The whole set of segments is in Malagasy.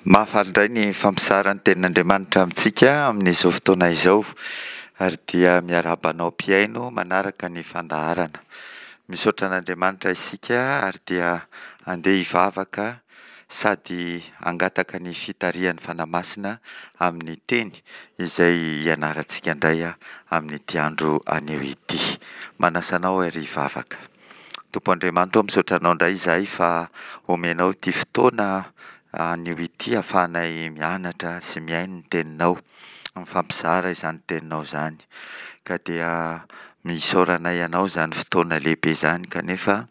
Mahafaly indray ny mifampizara ny tenin'Andriamanitra amintsika amin'izao fotoana izao ary dia miarahaba anao mpihaino manaraka ny fandaharana. Misaotra an'Andriamanitra isika ary dia andeha hivavaka sady hangataka ny fitarihan'ny Fanahy Masina amin'ny teny izay hianarantsika indray amin'ity andro anio ity. Manasa anao ary hivavaka. Tompo Andriamanitra ô, misaotra Anao indray izahay fa omenao ity fotoana anio ity ahafahanay mianatra sy mihaino ny Teninao, mifampizara izany Teninao izany. Ka dia isaoranay Anao izany fotoana lehibe izany kanefa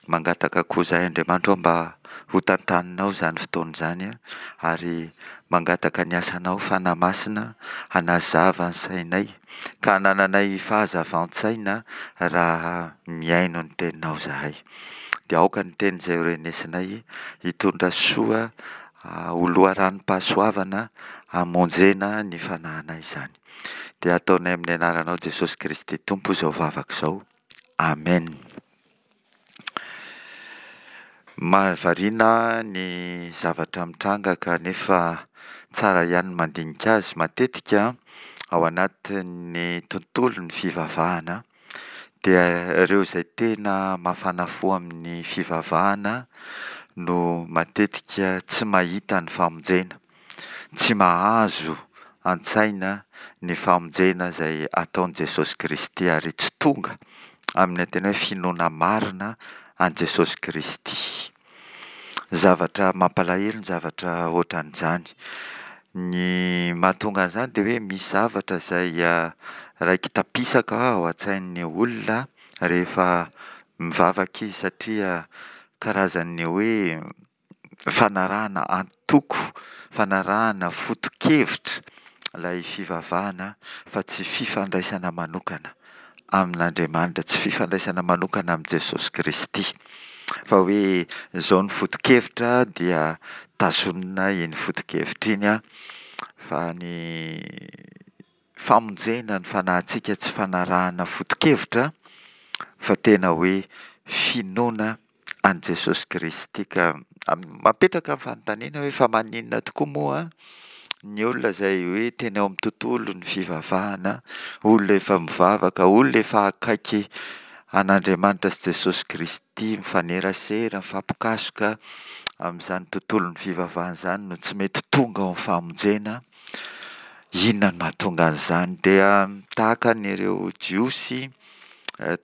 mangataka koa izahay Andriamanitra ô mba ho tantaninao izany fotoana izany ary mangataka ny asanao Fanahy Masina hanazava ny sainay ka hanananay fahazavan-tsaina raha mihaino ny teninao izahay. Dia aoka ny teny izay horenesinay hitondra soa ho loharanom-pahasoavana hamonjena ny fanahinay izany. Dia ataonay amin'ny anaranao Jesosy Kristy Tompo izao vavaka izao. Amen. Mahavariana ny zavatra mitranga kanefa tsara ihany ny mandinika azy. Matetika ao anatin'ny tontolon'ny fivavahana dia ireo izay tena mafana fo amin'ny fivavahana no matetika tsy mahita ny famonjena, tsy mahazo an-tsaina ny famonjena izay ataon'i Jesosy Kristy ary tsy tonga amin'ny tena hoe finoana marina an'i Jesosy Kristy. Zavatra mampalahelo ny zavatra ohatran'izany. Ny mahatonga an'izany dia hoe misy zavatra izay raiki-tapisaka ao an-tsain'ny olona rehefa mivavaka izy satria karazan'ny hoe fanarahana antoko, fanarahana foto-kevitra ilay fivavahana fa tsy fifandraisana manokana amin'Andriamanitra, tsy fifandraisana manokana amin'i Jesosy Kristy. Fa hoe izao ny foto-kevitra dia tazonina iny foto-kevitra iny fa ny famonjena ny fanahintsika tsy fanarahana foto-kevitra fa tena hoe finoana an'i Jesosy Kristy ka mapetraka ny fanontaniana hoe fa maninona tokoa moa ny olona izay hoe tena eo amin'ny tontolon'ny fivavahana, olona efa mivavaka, olona efa akaiky an'Andriamanitra sy Jesosy Kristy, mifanerasera, mifampikasoka amin'izany tontolon'ny fivavahana izany no tsy mety tonga ao amin'ny famonjena. Inona no mahatonga an'izany? Dia tahaka an'ireo Jiosy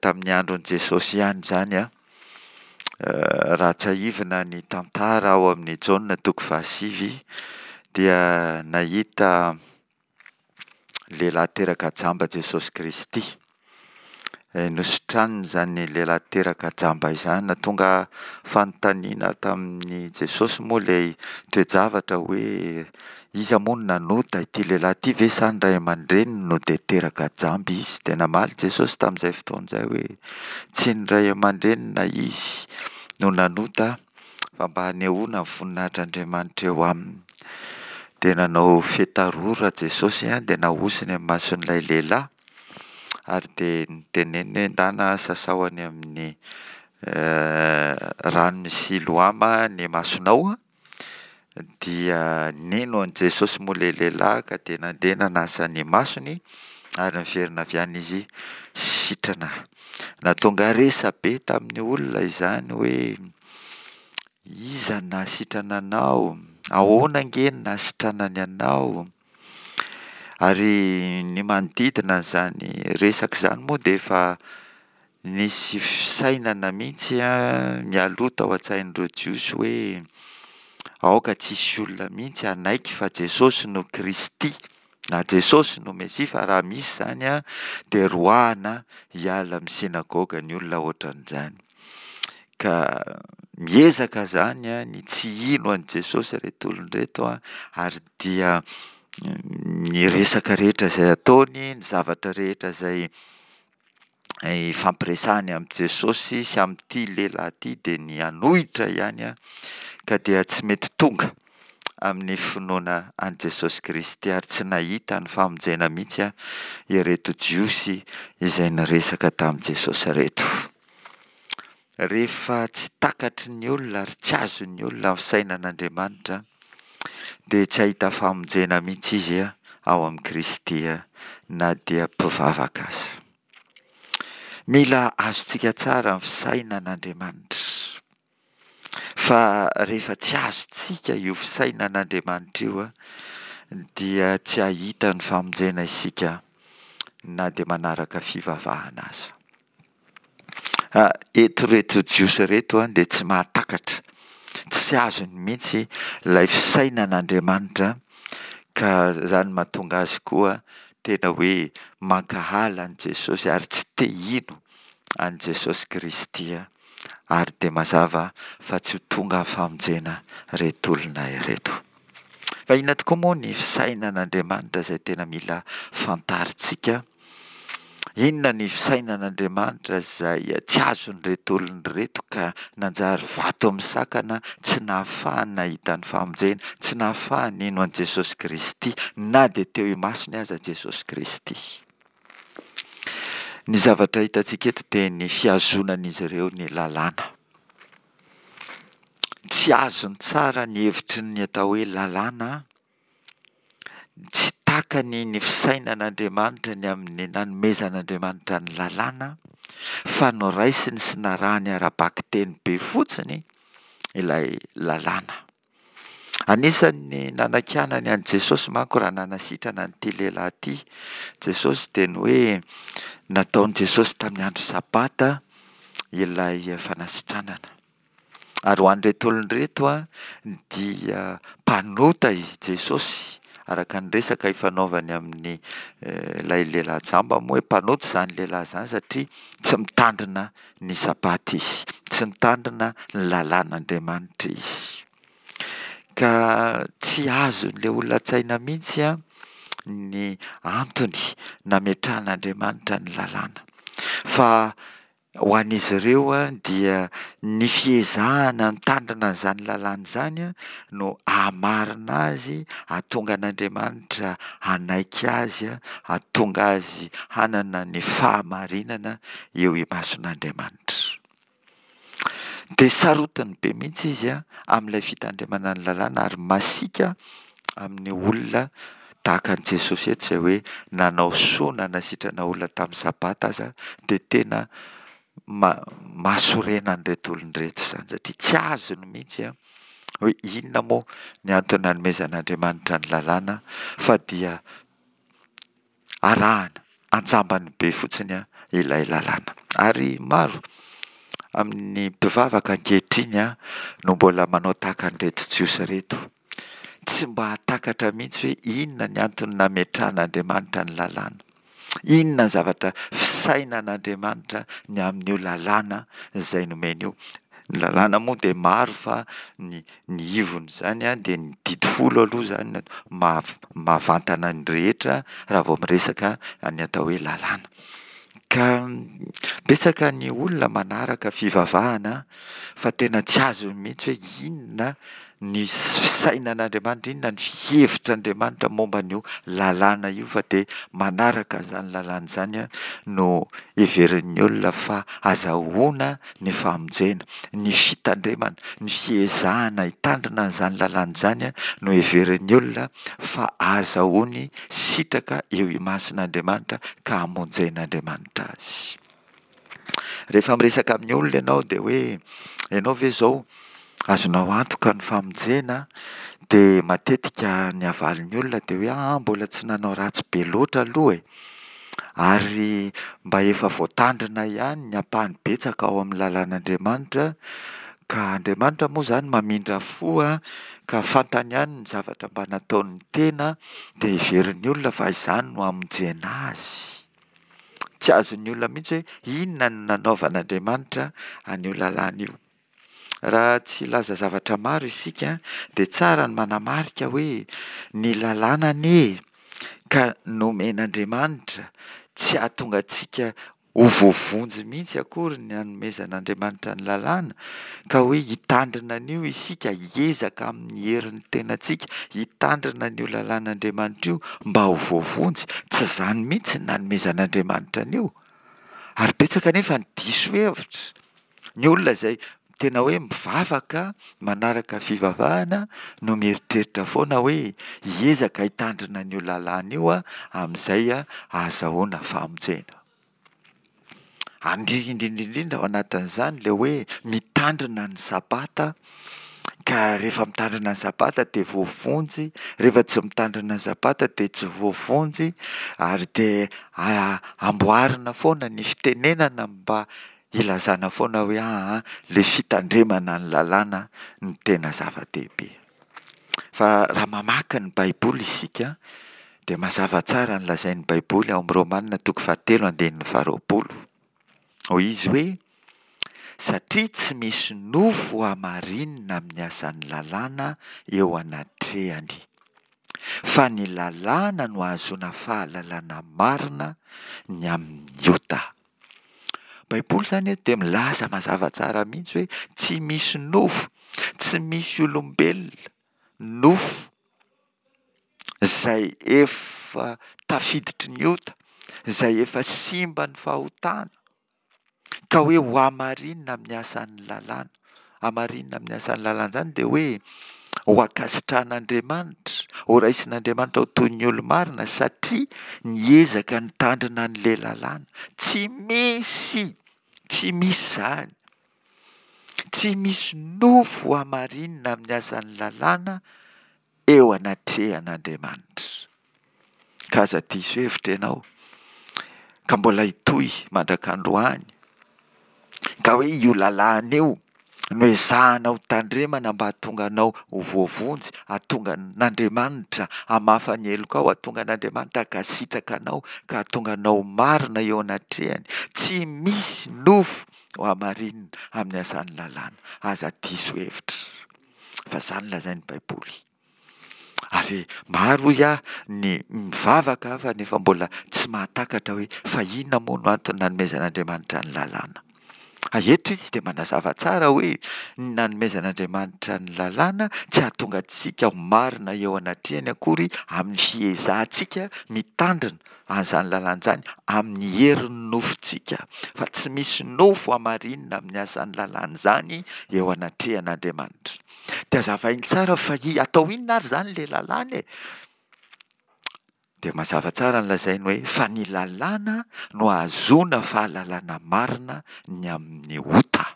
tamin'ny andron'i Jesosy ihany izany an. Raha tsiahivina ny tantara ao amin'ny Jaona toko fahasivy dia nahita lehilahy teraka jamba Jesosy Kristy. Nositraniny izany lehilahy teraka jamba izany. Nahatonga fanontaniana tamin'i Jesosy moa ilay toe-javatra hoe iza moa no nanota, ity lehilahy ity ve sa ny ray aman-dreniny no dia teraka jamba izy? Dia namaly Jesosy tamin'izay fotoana izay hoe tsy ny ray aman-dreniny na izy no nanota fa mba hanehoana ny voninahitr'Andriamanitra eo aminy. Dia nanao fetarora Jesosy dia nahosony amin'ny mason'ilay lehilahy. Ary dia noteneniny hoe ndana sasao any amin'ny ranon'i Siloama ny masonao an! Dia nino an'i Jesosy moa ilay lehilahy ka dia nandeha nanasa ny masony ary niverina avy any izy sitrana. Nahatonga resa-be tamin'ny olona izany hoe iza no nahasitrana anao? Ahoana ange no nahasitranany anao? Ary ny manodidina an'izany resaka izany moa dia efa nisy fisainana mihitsy mialoha tao an-tsain'ireo Jiosy hoe aoka tsy hisy olona mihitsy hanaiky fa Jesosy no Kristy na Jesosy no Mesia fa raha misy izany dia roahina hiala amin'ny synagoga ny olona ohatran'izany. Ka miezaka izany ny tsy hino an'i Jesosy ireto olona ireto ary dia ny resaka rehetra izay ataony, ny zavatra rehetra izay ifampiresahany amin'i Jesosy sy amin'ity lehilahy ity dia ny hanohitra ihany ka dia tsy mety tonga amin'ny finoana an'i Jesosy Kristy ary tsy nahita ny famonjena mihitsy ireto Jiosy izay niresaka tamin'i Jesosy ireto. Rehefa tsy takatry ny olona ary tsy azon'ny olona ny fisainan'Andriamanitra, dia tsy hahita famonjena mihitsy izy ao amin'i Kristy na dia mpivavaka aza. Mila azontsika tsara ny fisainan'Andriamanitra. Fa rehefa tsy azontsika io fisainan'Andriamanitra io dia tsy hahita ny famonjena isika na dia manaraka fivavahana aza. Eto ireto Jiosy ireto dia tsy mahatakatra, tsy azony mihitsy ilay fisainan'Andriamanitra ka izany mahatonga azy koa tena hoe mankahala an'i Jesosy ary tsy te hino an'i Jesosy Kristy ary dia mazava fa tsy ho tonga famonjena ireto olona ireto. Fa inona tokoa moa ny fisainan'Andriamanitra izay tena mila fantarintsika? Inona ny fisainan'Andriamanitra izay tsy azon'ireto olona ireto ka nanjary vato misakana tsy nahafahany nahita ny famonjena, tsy nahafahany nino an'i Jesosy Kristy na dia teo imasony aza Jesosy Kristy? Ny zavatra hitantsika eto dia ny fihazonan'izy ireo ny lalàna. Tsy azony tsara ny hevitry ny atao hoe lalàna. Tsy takany ny fisainan'Andriamanitra ny amin'ny nanomezan'Andriamanitra ny lalàna, fa noraisiny sy narahany ara-bakiteny be fotsiny ilay lalàna. Anisan'ny nanakianany an'i Jesosy manko raha nanasitrana an'ity lehilahy ity Jesosy dia ny hoe nataon'i Jesosy tamin'ny andro sabata ilay fanasitranana. Ary ho an'ireto olona ireto dia mpanota i Jesosy, araka ny resaka ifanaovany amin'ny ilay lehilahy jamba moa hoe mpanota izany lehilahy izany satria tsy mitandrina ny sabata izy, tsy mitandrina ny lalàn'Andriamanitra izy. Ka tsy azon'ilay olona an-tsaina mihitsy ny antony nametrahan'Andriamanitra ny lalàna. Fa Ho an'izy ireo dia ny fiezahana mitandrina an'izany lalàna izany no hahamarina azy, hahatonga an'Andriamanitra hanaiky azy, hahatonga azy hanana ny fahamarinana eo imason'Andriamanitra. Dia sarotiny be mihitsy izy amin'ilay fitandremana ny lalàna ary masiaka amin'ny olona tahaka an'i Jesosy eto izay hoe nanao soa nanasitrana olona tamin'ny sabata aza dia tena mahasorena an'ireto olona ireto izany satria tsy azony mihitsy hoe inona moa ny antony nanomezan'Andriamanitra ny lalàna fa dia arahana anjambany be fotsiny ilay lalàna. Ary maro amin'ny mpivavaka ankehitriny no mbola manao tahaka an'ireto Jiosy ireto. Tsy mba hahatakatra mihitsy hoe inona ny antony nametrahan'Andriamanitra ny lalàna. Inona ny zavatra fisainan'Andriamanitra ny amin'io lalàna izay nomeny io. Ny lalàna moa dia maro fa ny ny ivon'izany dia ny didy folo aloha izany no mahavantana ny rehetra raha vao miresaka ny atao hoe lalàna. Ka betsaka ny olona manaraka fivavahana fa tena tsy azony mihitsy hoe inona ny fisainan'Andriamanitra, inona ny fihevitr'Andriamanitra momba an'io lalàna io fa dia manaraka an'izany lalàna izany no heverin'ny olona fa azahoana ny famonjena, ny fitandremana, ny fiezahana hitandrina an'izany lalàna izany no heverin'ny olona fa azahoany sitraka eo imason'Andriamanitra ka hamonjen'Andriamanitra azy. Rehefa miresaka amin'ny olona ianao dia hoe ianao ve izao azonao antoka ny famonjena dia matetika ny avalin'ny olona dia hoe aa mbola tsy nanao ratsy be loatra aloha e! Ary mba efa voatandrina ihany ny ampahany betsaka ao amin'ny lalàn'Andriamanitra, ka Andriamanitra moa izany mamindra fo ka fantany ihany ny zavatra mba nataon'ny tena dia heverin'ny olona fa izany no hamonjena azy. Tsy azon'ny olona mihitsy hoe inona no nanaovan'Andriamanitra an'io lalàna io. Raha tsy hilaza zavatra maro isika dia tsara ny manamarika hoe ny lalàna anie ka nomen'Andriamanitra tsy hahatonga antsika ho voavonjy mihitsy akory ny hanomezan'Andriamanitra ny lalàna ka hoe hitandrina an'io isika, hiezaka amin'ny herin'ny tenantsika hitandrina an'io lalàn'Andriamanitra io mba ho voavonjy. Tsy izany mihitsy ny nanomezan'Andriamanitra an'io. Ary betsaka anefa ny diso hevitra. Ny olona izay. tena hoe mivavaka, manaraka fivavahana no mieritreritra foana hoe hiezaka hitandrina an'io lalàna io aho amin'izay ahazahoana famonjena. Ary indrindra indrindra ao anatin'izany ilay hoe mitandrina ny sabata, ka rehefa mitandrina ny sabata dia voavonjy, rehefa tsy mitandrina ny sabata dia tsy voavonjy, ary dia amboarina foana ny fitenenana mba hilazana foana hoe aa ilay fitandremana ny lalàna no tena zava-dehibe. Fa raha mamaky ny Baiboly isika dia mazava tsara ny lazain'ny Baiboly ao amin'ny Romana toko fahatelo andininy faharoapolo. Hoy izy hoe, Satria tsy misy nofo hamarinina amin'ny asan'ny lalàna eo anatrehany, fa ny lalàna no ahazoana fahalalana marina ny amin'ny ota. Baiboly izany eto dia milaza mazava tsara mihitsy hoe tsy misy nofo, tsy misy olombelona, nofo, izay efa tafiditry ny ota, izay efa simban'ny fahotana, ka hoe ho hamarinina amin'ny asan'ny lalàna. Hamarinina amin'ny asan'ny lalàna izany dia hoe ho ankasitrahan'Andriamanitra, ho raisin'Andriamanitra ho toy ny olo-marina satria niezaka nitandrina an'ilay lalàna. Tsy misy, tsy misy izany. Tsy misy nofo hamarinina amin'ny asan'ny lalàna eo anatrehan'Andriamanitra. Ka aza diso hevitra ianao ka mbola hitohy mandrak'androany ka hoe io lalàna io no ezahana ho tandremana mba hahatonga anao ho voavonjy, hahatonga an'Andriamanitra hamafa ny helokao, hahatonga an'Andriamanitra hankasitraka anao ka hahatonga anao ho marina eo anatrehany. Tsy misy nofo ho hamarinina amin'ny asan'ny lalàna. Aza diso hevitra fa izany lazain'ny Baiboly. Ary maro hoy aho ny mivavaka fa nefa mbola tsy mahatakatra hoe fa inona moa no antony nanomezan'Andriamanitra ny lalàna. Eto izy dia manazava tsara hoe ny nanomezan'Andriamanitra ny lalàna tsy hahatonga antsika ho marina eo anatrehany akory amin'ny fiezahantsika mitandrina an'izany lalàna izany amin'ny herin'ny nofontsika, fa tsy misy nofo hamarinina amin'ny asan'ny lalàna izany eo anatrehan'Andriamanitra. Dia hazavainy tsara fa i atao inona ary izany ilay lalàna e? Dia mazava tsara ny lazainy hoe fa ny lalàna no ahazoana fahalalana marina ny amin'ny ota.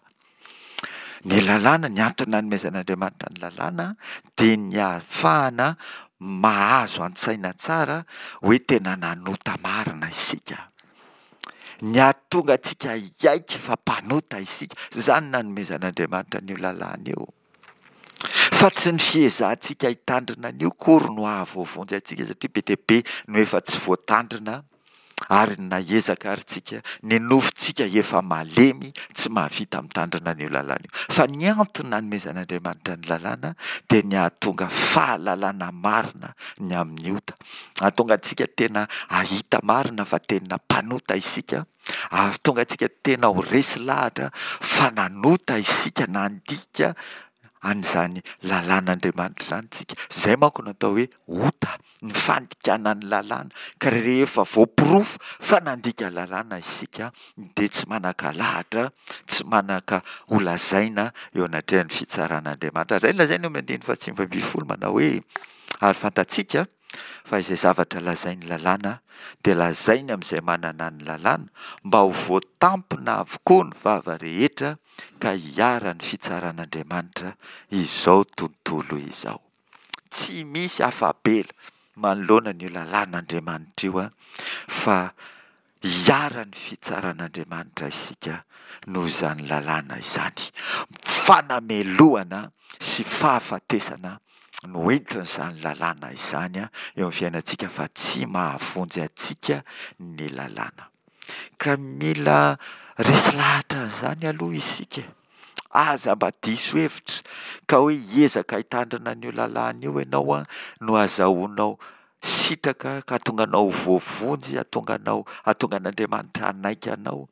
Ny lalàna, ny antony nanomezan'Andriamanitra ny lalàna dia ny ahafahana mahazo an-tsaina tsara hoe tena nanota marina isika. Ny hahatonga antsika hiaiky fa mpanota isika. Izany nanomezan'Andriamanitra an'io lalàna io. Fa tsy ny fiezahantsika hitandrina an'io akory no hahavoavonjy antsika satria be dia be no efa tsy voatandrina ary na hiezaka ary tsika, ny nofontsika efa malemy tsy mahavita mitandrina an'io lalàna io. Fa ny antony nanomezan'Andriamanitra ny lalàna dia ny hahatonga fahalalana marina ny amin'ny ota. Hahatonga antsika tena hahita marina fa tena mpanota isika, hahatonga antsika tena ho resy lahatra fa nanota isika, nandika an'izany lalàn'Andriamanitra izany isika. Izay manko no atao hoe ota, ny fandikana ny lalàna. Ka rehefa voaporofo fa nandika lalàna isika dia tsy manan-kalahatra, tsy manan-ka-holazaina eo anatrehan'ny fitsaran'Andriamanitra. Izay no lazainy eo amin'ny andininy fahatsivy ambin'ny folo manao hoe, Ary fantatsika fa izay zavatra lazain'ny lalàna dia lazainy amin'izay manana ny lalàna, mba ho voatampina avokoa ny vava rehetra ka hiharan'ny fitsaran'Andriamanitra izao tontolo izao. Tsy misy afa-bela manoloana an'io lalàn'Andriamanitra io fa Hiharan'ny fitsaran'Andriamanitra isika noho izany lalàna izany. Fanamelohana sy fahafatesana no entin'izany lalàna izany eo amin'ny fiainantsika fa tsy mahavonjy antsika ny lalàna. Ka mila resy lahatra an'izany aloha isika e. Aza mba diso hevitra ka hoe hiezaka hitandrina an'io lalàna io ianao no azahoanao sitraka ka hahatonga anao ho voavonjy, hahatonga anao, hahatonga an'Andriamanitra hanaiky anao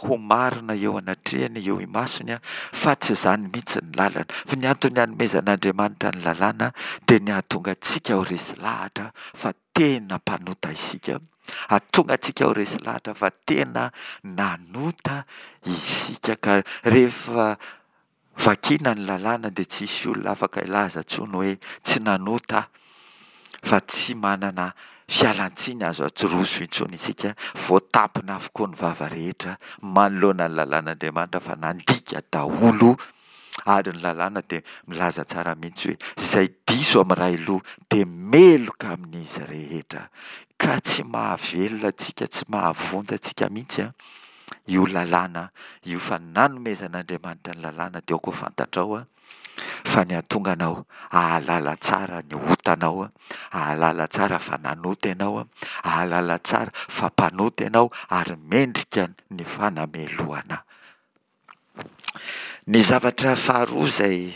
ho marina eo anatrehany, eo imasony, fa tsy izany mihitsy ny lalana. Fa ny antony hanomezan'Andriamanitra ny lalàna dia ny hahatonga antsika ho resy lahatra fa tena mpanota isika, hahatonga antsika ho resy lahatra fa tena nanota isika ka rehefa. Vakiana ny lalàna dia tsy hisy olona afaka hilaza intsony hoe tsy nanota aho fa tsy manana fialan-tsiny azo aroso intsony isika, voatampina avokoa ny vava rehetra manoloana ny lalàn'Andriamanitra fa nandika daholo ary ny lalàna dia milaza tsara mihitsy hoe izay diso amin'ny iray loha dia meloka amin'izy rehetra ka tsy mahavelona antsika, tsy mahavonjy antsika mihitsy an! io lalàna io fa nanomezan'Andriamanitra ny lalàna dia aoka ho fantatrao fa ny hahatonga anao hahalala tsara ny otanao, hahalala tsara fa nanota ianao, hahalala tsara fa mpanota ianao ary mendrika ny fanamelohana. Ny zavatra faharoa izay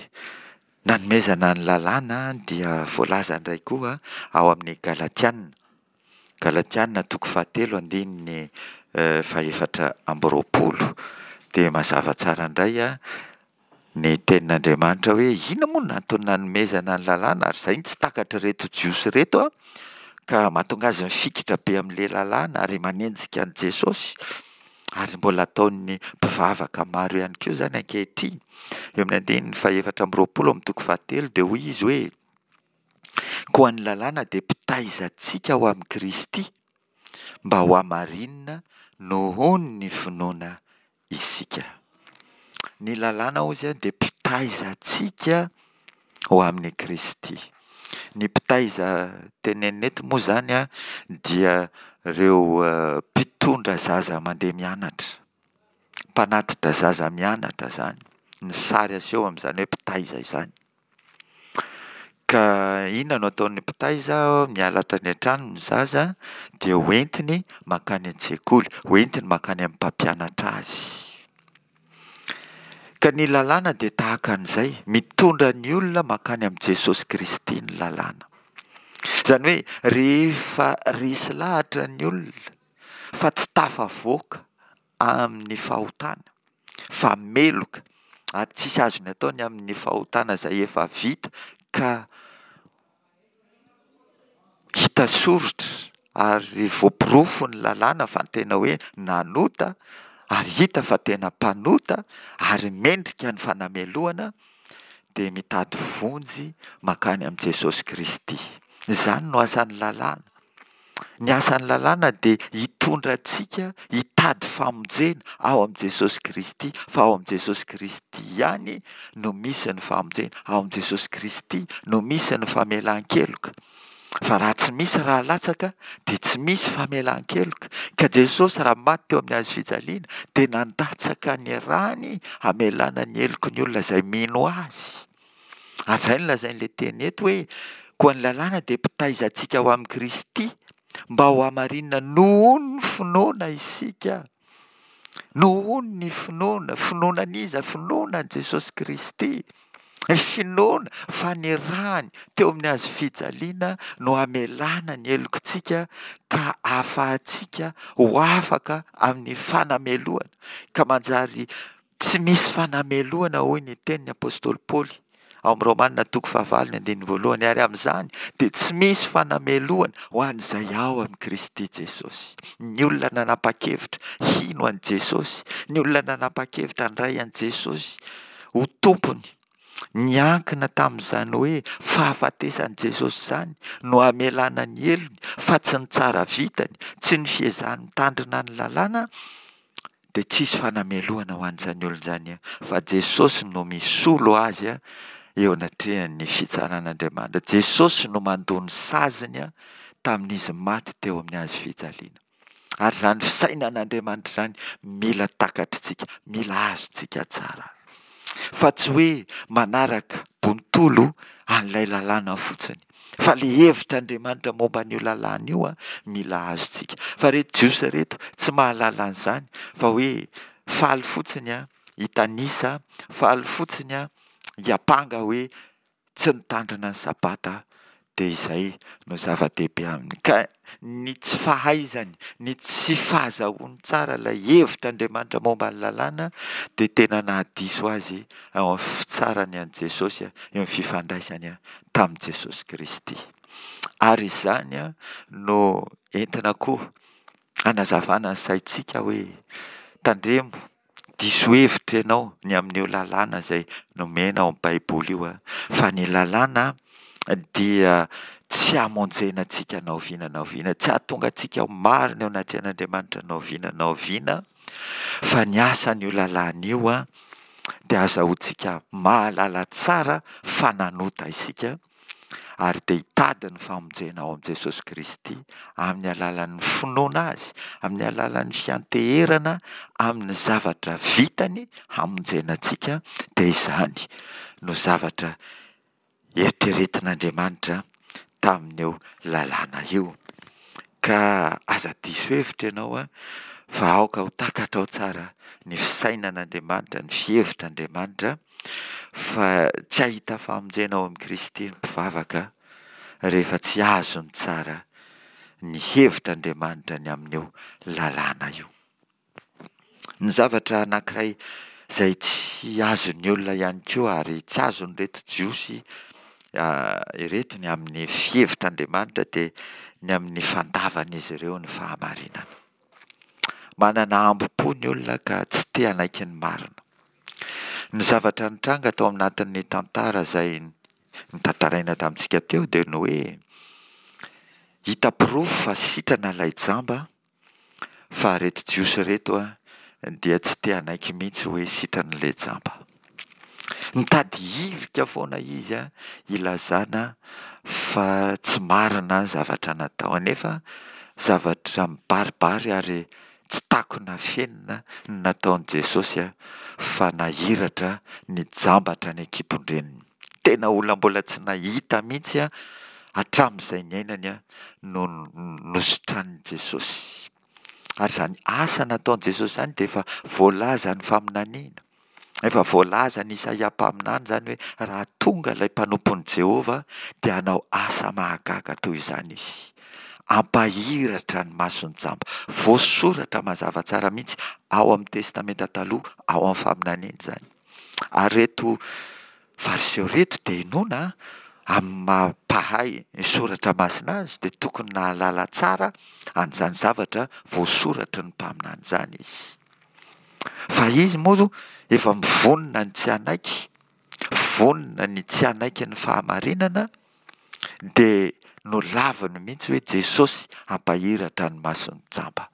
nanomezana ny lalàna dia voalaza indray koa ao amin'ny Galatiana. Galatiana toko fahatelo andininy fahefatra amby roapolo. Dia mazava tsara indray ny tenin'Andriamanitra hoe inona moa no antony nanomezana ny lalàna ary izay no tsy takatr'ireto Jiosy ireto ka mahatonga azy mifikitra be amin'ilay lalàna ary manenjika an'i Jesosy ary mbola ataon'ny mpivavaka maro ihany koa izany ankehitriny. Eo amin'ny andininy fahefatra amby roapolo amin'ny toko fahatelo dia hoy izy hoe Koa ny lalàna dia mpitaiza antsika ho amin'i Kristy, mba hohamarinina nohon' ny finoana isika. Ny lalàna hozy dia mpitaiza antsika ho amin'i Kristy. Ny mpitaiza tenenina eto moa izany dia ireo mpitondra zaza mandeha mianatra, mpanatitra zaza mianatra izany, ny sary aseho amin'izany hoe mpitaiza izany. Ka inona no ataon'ny mpitaiza? Miala hatrany an-trano ny zaza dia hoentiny mankany an-tsekoly, hoentiny mankany amin'ny mpampianatra azy. Ka ny lalàna dia tahaka an'izay, mitondra ny olona mankany amin'i Jesosy Kristy ny lalàna. Izany hoe rehefa resy lahatra ny olona fa tsy tafavoaka amin'ny fahotana, fa meloka ary tsisy azony atao ny amin'ny fahotana izay efa vita ka hita soritra ary voaporofo ny lalàna fa tena hoe nanota ary hita fa tena mpanota ary mendrika ny fanamelohana dia mitady vonjy mankany amin'i Jesosy Kristy. Izany no asan'ny lalàna. Ny asan'ny lalàna dia hitondra antsika hitady famonjena ao amin'i Jesosy Kristy, fa ao amin'i Jesosy Kristy ihany no misy ny famonjena, ao amin'i Jesosy Kristy no misy ny famelan-keloka. Fa raha tsy misy ra latsaka dia tsy misy famelan-keloka. Ka Jesosy raha maty teo amin'ny hazo fijaliana dia nandatsaka ny rany hamelana ny heloky ny olona izay mino Azy. Ary izay no lazain'ilay teny eto hoe, koa ny lalàna dia mpitaiza antsika ho amin'i Kristy, mba ho hamarinina nohon'ny finoana isika. Nohon'ny finoana. Finoana an'iza? Finoana an'i Jesosy Kristy. Ny finoana fa ny rany teo amin'ny hazo fijaliana no hamelana ny helokintsika ka ahafahantsika ho afaka amin'ny fanamelohana, ka manjary Tsy misy fanamelohana, hoy ny tenin'ny apostoly Paoly ao amin'ny Romana toko fahavalo ny andininy voalohany, ary amin'izany dia tsy misy fanamelohana ho an'izay ao amin'i Kristy Jesosy. Ny olona nanapa-kevitra hino an'i Jesosy, ny olona nanapa-kevitra handray an'i Jesosy ho Tompony, niankina tamin'izany hoe fahafatesan'i Jesosy izany no hamelana ny helony fa tsy ny tsara vitany, tsy ny fiezahany mitandrina ny lalàna, dia tsisy fanamelohana ho an'izany olona izany fa Jesosy no misolo azy eo anatrehan'ny fitsaran'Andriamanitra. Jesosy no mandoa ny saziny tamin'izy maty teo amin'ny hazo fijaliana. Ary izany fisainan'Andriamanitra izany mila takatritsika, mila azontsika tsara. Fa tsy hoe manaraka bontolo an'ilay lalàna fotsiny. Fa le hevitr'Andriamanitra momba an'io lalàna io an, mila azontsika. Fa reto Jiosy reto tsy mahalala an'izany fa hoe faly fotsiny an, hitanisa, faly fotsiny an, hiampanga hoe tsy nitandrina ny sabata dia izay no zava-dehibe aminy. Ka ny tsy fahaizany, ny tsy fahazahoany tsara ilay hevitr'Andriamanitra momba ny lalàna dia tena nahadiso azy ao amin'ny fitsarany an'i Jesosy, eo amin'ny fifandraisany tamin'i Jesosy Kristy. Ary izany no entina koa hanazavana ny saintsika hoe tandremo. Diso hevitra ianao ny amin'io lalàna izay nomena ao amin'ny Baiboly io, fa ny lalàna dia tsy hamonjena antsika na oviana na oviana, tsy hahatonga antsika ho marina eo anatrehan'Andriamanitra na oviana na oviana, fa ny asan'io lalàna io dia azahoantsika mahalala tsara fa nanota isika, ary dia hitady ny famonjena ao amin'i Jesosy Kristy amin'ny alalan'ny finoana Azy, amin'ny alalan'ny fianteherana amin'ny zavatra vitany hamonjena antsika, dia izany no zavatra eritreretin'Andriamanitra tamin'io lalàna io. Ka aza diso hevitra ianao fa aoka ho takatrao tsara ny fisainan'Andriamanitra, ny fihevitr'Andriamanitra fa tsy hahita famonjena ao amin'i Kristy ny mpivavaka rehefa tsy azony tsara ny hevitr'Andriamanitra ny amin'io lalàna io. Ny zavatra anankiray izay tsy azon'ny olona ihany koa ary tsy azon'ireto Jiosy ireto ny amin'ny fihevitr'Andriamanitra dia ny amin'ny fandavan'izy ireo ny fahamarinana. Manana hambom-po ny olona ka tsy te hanaiky ny marina. Ny zavatra nitranga tao anatin'ny tantara izay notantaraina tamintsika teo dia ny hoe hita porofo fa sitrana ilay jamba Fa reto jiosy reto dia tsy te hanaiky mihitsy hoe sitrana ilay jamba. Nitady hirika foana izy hilazana fa tsy marina ny zavatra natao. Nefa zavatra mibaribary ary tsy takona afenina ny nataon'i Jesosy fa nahiratra ny jamba hatrany an-kibon-dreniny. Tena olona mbola tsy nahita mihitsy hatramin'izay niainany no nositranin'i Jesosy. Ary izany asa nataon'i Jesosy izany dia efa voalazan'ny faminaniana. Efa voalazan'i Isaia mpaminany izany hoe raha tonga ilay mpanompon'i Jehovah dia hanao asa mahagaga toy izany izy. Hampahiratra ny mason'ny jamba. Voasoratra mazava tsara mihitsy ao amin'ny Testamenta Taloha, ao amin'ny faminaniana izany. Ary ireto Fariseo ireto dia inoana amin'ny maha mpahay ny soratra masina azy dia tokony nahalala tsara an'izany zavatra voasoratry ny mpaminany izany izy. Fa izy moa efa mivonona ny tsy hanaiky, vonona ny tsy hanaiky ny fahamarinana dia nolaviny mihitsy hoe Jesosy hampahiratra ny mason'ny jamba.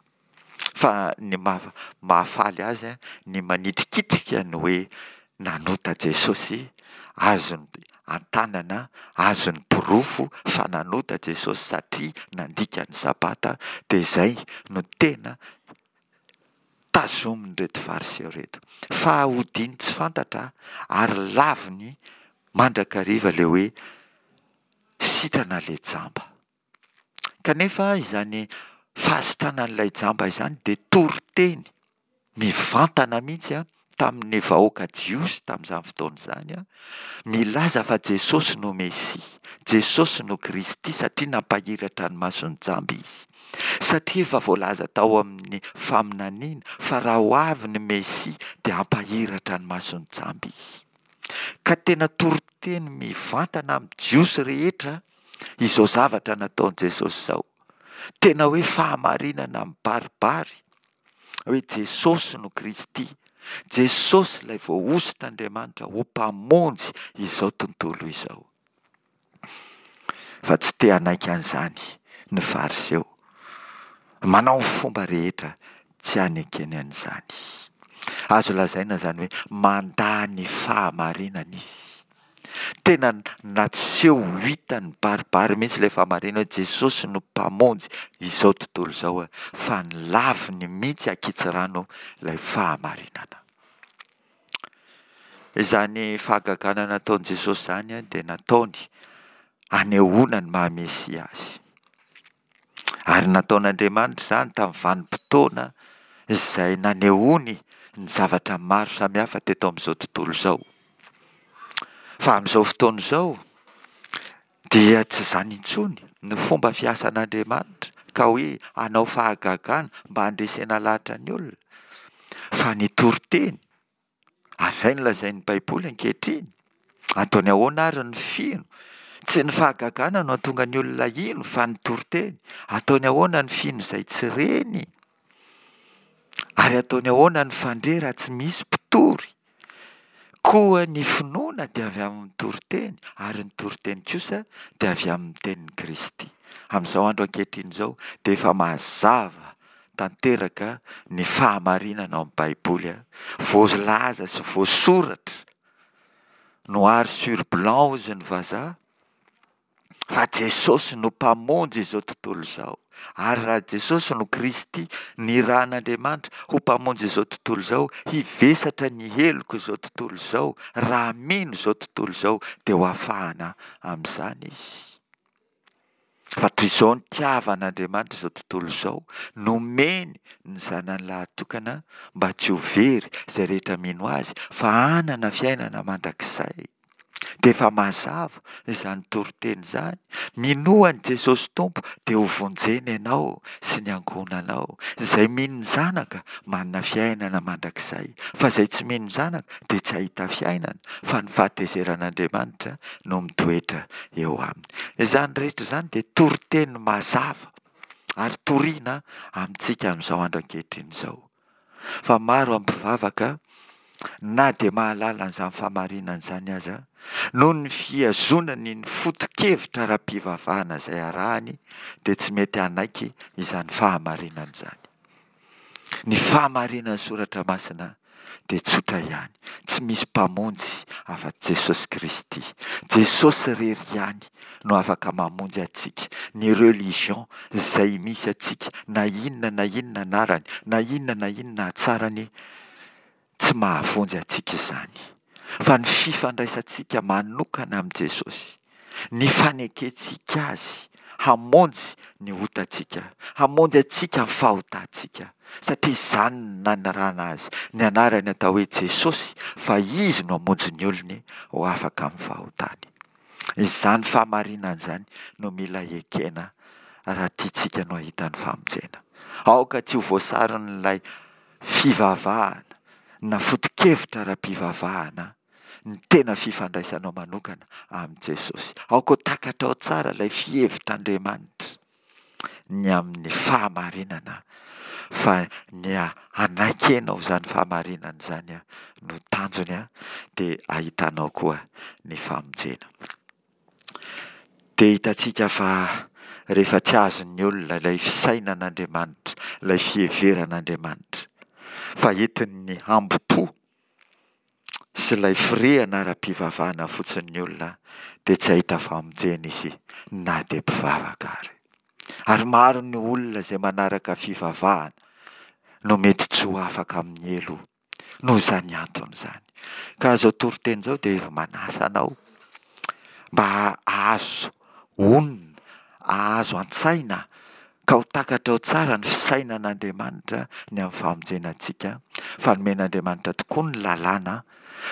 Fa ny mahafaly azy ny manitrikitrika ny hoe nanota Jesosy, azony an-tanana, azony porofo fa nanota Jesosy satria nandika ny sabata, dia izay no tena tazomin'ireto Fariseo ireto. Fa odiany tsy fantatra ary laviny mandrakariva ilay hoe sitrana ilay jamba. Kanefa izany fahasitranan'ilay jamba izany dia toriteny mivantana mihitsy tamin'ny vahoaka jiosy tamin'izany fotoana izany, milaza fa Jesosy no Mesia, Jesosy no Kristy satria nampahiratra ny mason'ny jamba izy. Satria efa voalaza tao amin'ny faminaniana fa raha ho avy ny Mesia dia hampahiratra ny mason'ny jamba izy. Ka tena toriteny mivantana amin'ny Jiosy rehetra izao zavatra nataon'i Jesosy izao. Tena hoe fahamarinana mibaribary hoe Jesosy no Kristy, Jesosy ilay voahosotr'Andriamanitra ho Mpamonjy izao tontolo izao. Fa tsy te hanaiky an'izany ny Fariseo. Manao ny fomba rehetra tsy hanekeny an'izany. Azo lazaina izany hoe mandà ny fahamarinana izy. Tena naseho ho hita nibaribary mihitsy ilay fahamarinana hoe Jesosy no Mpamonjy izao tontolo izao fa nolaviny mihitsy ankitsirano ilay fahamarinana. Izany fahagagana nataon'i Jesosy izany dia nataony hanehoana ny maha Mesia azy. Ary nataon'Andriamanitra izany tamin'ny vanim-potoana izay nanehoany ny zavatra maro samihafa teto amin'izao tontolo izao. Fa amin'izao fotoana izao dia tsy izany intsony ny fomba fiasan'Andriamanitra ka hoe hanao fahagagana mba handresena lahatra ny olona fa ny toriteny Ary izay no lazain'ny Baiboly ankehitriny. Ataony ahoana ary ny fino? Tsy ny fahagagana no hahatonga ny olona hino fa ny toriteny. Ataony ahoana ny fino izay tsy reny? Ary ataony ahoana ny fandre raha tsy misy mpitory? Koa ny finoana dia avy amin'ny toriteny, ary ny toriteny kosa dia avy amin'ny tenin'i Kristy. Amin'izao andro ankehitriny izao dia efa mazava tanteraka ny fahamarinana ao amin'ny Baiboly, voalaza sy voasoratra noir sur blanc hozy ny vazaha, fa Jesosy no Mpamonjy izao tontolo izao. Ary raha Jesosy no Kristy nirahan'Andriamanitra ho Mpamonjy izao tontolo izao, hivesatra ny heloko izao tontolo izao, raha mino izao tontolo izao dia ho afahana amin'izany izy. Fa toy izao nitiavan'Andriamanitra izao tontolo izao, nomeny ny Zanany lahatokana mba tsy ho very izay rehetra mino Azy fa hanana fiainana mandrakizay. Dia efa mazava izany toriteny izany, minoa an'i Jesosy Tompo dia ho vonjena ianao sy ny ankohonanao. Izay mino ny Zanaka manana fiainana mandrakizay, fa izay tsy mino ny Zanaka dia tsy hahita fiainana fa ny fahatezeran'Andriamanitra no mitoetra eo aminy. Izany rehetra izany dia toriteny mazava ary toriana amintsika amin'izao andro ankehitriny izao. Fa maro amin'ny mpivavaka na dia mahalala an'izany fahamarinana izany aza, noho ny fihazonany ny foto-kevitra ara-pivavahana izay arahany dia tsy mety hanaiky izany fahamarinana izany. Ny fahamarinan'ny Soratra Masina dia tsotra ihany, tsy misy Mpamonjy afa-tsy Jesosy Kristy. Jesosy irery ihany no afaka mamonjy antsika. Ny religion izay misy antsika, na inona na inona anarany, na inona na inona hatsarany, tsy mahavonjy antsika izany. Fa ny fifandraisantsika manokana amin'i Jesosy, ny fanekentsika Azy hamonjy ny otantsika, hamonjy antsika amin'ny fahotantsika, satria izany no nanirahana Azy, ny anarany atao hoe Jesosy, fa Izy no hamonjy ny olony ho afaka amin'ny fahotany. Izany fahamarinana izany no mila ekena raha tiantsika no hahita ny famonjena. Aoka tsy ho voasaron'ilay fivavahana na foto-kevitra ara-pivavahana ny tena fifandraisanao manokana amin'i Jesosy. Aoka ho takatrao tsara ilay fihevitr'Andriamanitra ny amin'ny fahamarinana fa ny hanaikenao izany fahamarinana izany no tanjony dia ahitanao koa ny famonjena. Dia hitantsika fa rehefa tsy azon'ny olona ilay fisainan'Andriamanitra, ilay fiheveran'Andriamanitra, fa entin'ny hambom-po sy ilay firehana ara-pivavahana fotsiny ny olona, dia tsy hahita famonjena izy na dia mpivavaka ary. Ary maro ny olona izay manaraka fivavahana no mety tsy ho afaka amin'ny helo Noho izany antony izany. Ka izao toriteny izao dia manasa anao mba hahazo onona, hahazo an-tsaina ka ho takatrao tsara ny fisainan'Andriamanitra ny amin'ny famonjena antsika, fa nomen'Andriamanitra tokoa ny lalàna,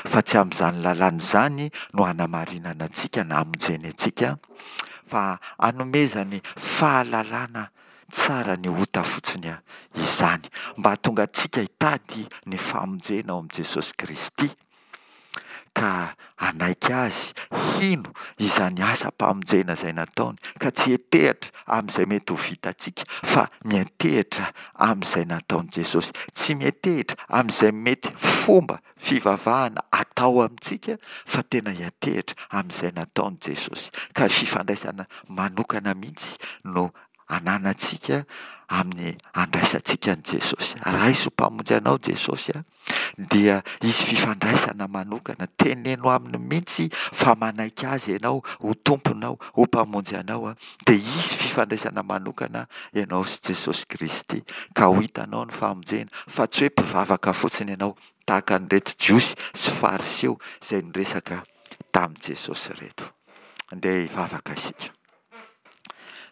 fa tsy amin'izany lalàna izany no hanamarinana antsika na hamonjeny antsika, fa hanomezany fahalalana Tsara ny ota fotsiny izany mba hahatonga antsika hitady ny famonjena ao amin'i Jesosy Kristy ka hanaiky Azy, hino izany asam-pamonjena izay nataony ka tsy hiantehitra amin'izay mety ho vitantsika fa miantehitra amin'izay nataon'i Jesosy. Tsy miantehitra amin'izay mety fomba fivavahana atao amintsika fa tena hiantehitra amin'izay nataon'i Jesosy ka fifandraisana manokana mihitsy no ananantsika amin'ny andraisantsika an'i Jesosy. Raiso ho Mpamonjy anao Jesosy a, dia hisy fifandraisana manokana, teneno aminy mihitsy fa manaiky Azy ianao ho Tomponao, ho Mpamonjy anao, dia hisy fifandraisana manokana ianao sy Jesosy Kristy, ka ho hitanao ny famonjena, fa tsy hoe mpivavaka fotsiny ianao, tahaka an'ireto Jiosy sy Fariseo izay niresaka tamin'i Jesosy ireto. Andeha hivavaka isika.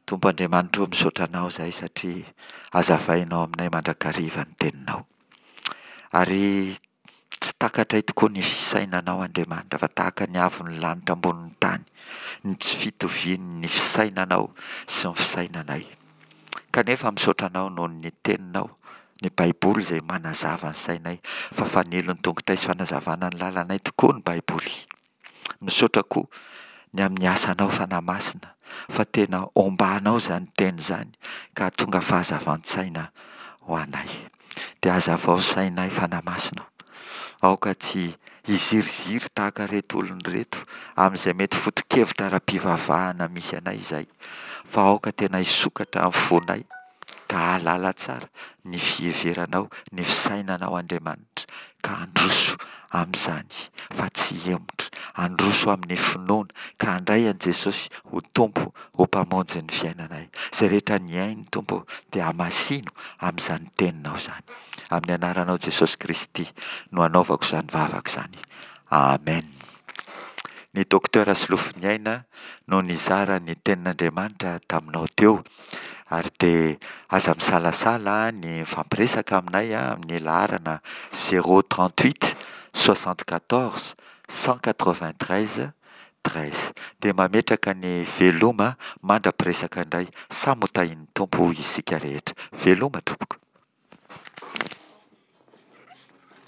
Tompo Andriamanitra ô, misaotra Anao izahay satria hazavainao aminay mandrakariva ny Teninao. Ary tsy takatray tokoa ny fisainanao Andriamanitra fa tahaka ny avon'ny lanitra ambonin'ny tany ny tsy fitovian'ny fisainanao sy ny fisainanay. Kanefa misaotra Anao noho ny Teninao, ny Baiboly izay manazava ny sainay fa fanilon'ny tongotray sy fanazavana ny lalanay tokoa ny Baiboly. Misaotra koa ny amin'ny asanao Fanahy Masina fa tena ombanao izany teny izany ka hahatonga fahazavan-tsaina ho anay. Dia hazavao ny sainay Fanahy Masina ô. Aoka tsy hiziriziry tahaka ireto olona ireto amin'izay mety foto-kevitra ara-pivavahana misy anay izay, fa aoka tena hisokatra ny fonay ka hahalala tsara ny fiheveranao, ny fisainanao Andriamanitra, ka handroso amin'izany fa tsy hihemotra, handroso amin'ny finoana ka handray an'i Jesosy ho Tompo, ho Mpamonjy ny fiainanay. Izay rehetra nihaino Tompo ô, dia hamasino amin'izany teninao izany. Amin'ny anaranao Jesosy Kristy no anaovako izany vavaka izany. Amen. Ny Docteur Solofoniaina no nizara ny tenin'Andriamanitra taminao teo ary dia aza misalasala ny mifampiresaka aminay amin'ny laharana 038 74 193 13. Dia mametraka ny veloma mandra-piresaka indray. Samy ho tahin'ny Tompo isika rehetra. Veloma tompoko.